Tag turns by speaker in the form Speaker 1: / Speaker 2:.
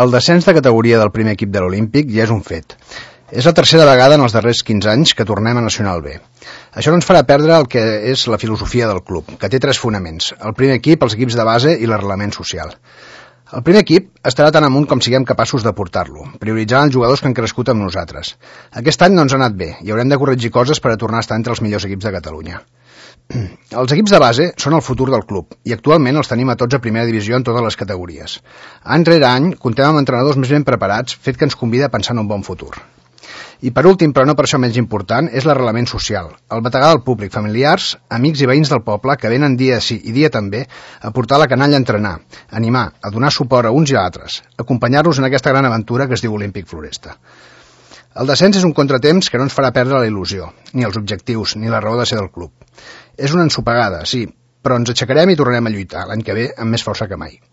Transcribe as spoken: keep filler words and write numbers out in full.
Speaker 1: El descens de categoria del primer equip de l'Olímpic ja és un fet. És la tercera vegada en els darrers quinze anys que tornem a Nacional B. Això no ens farà perdre el que és la filosofia del club, que té tres fonaments: el primer equip, els equips de base i l'arrelament social. El primer equip estarà tan amunt com siguem capaços de portar-lo, prioritzant els jugadors que han crescut amb nosaltres. Aquest any no ens ha anat bé i haurem de corregir coses per a tornar a estar entre els millors equips de Catalunya. Els equips de base són el futur del club i actualment els tenim a tots a primera divisió en totes les categories. Any rere any comptem amb entrenadors més ben preparats, fet que ens convida a pensar en un bon futur. I per últim, però no per això menys important, és l'arrelament social, el bategar del públic, familiars, amics i veïns del poble que venen dia sí i dia també a portar la canalla a entrenar, a animar, a donar suport a uns i a altres, a acompanyar-los en aquesta gran aventura que es diu Olímpic Floresta. El descens és un contratemps que no ens farà perdre la il·lusió, ni els objectius, ni la raó de ser del club. És una ensopegada, sí, però ens aixecarem i tornarem a lluitar l'any que ve amb més força que mai.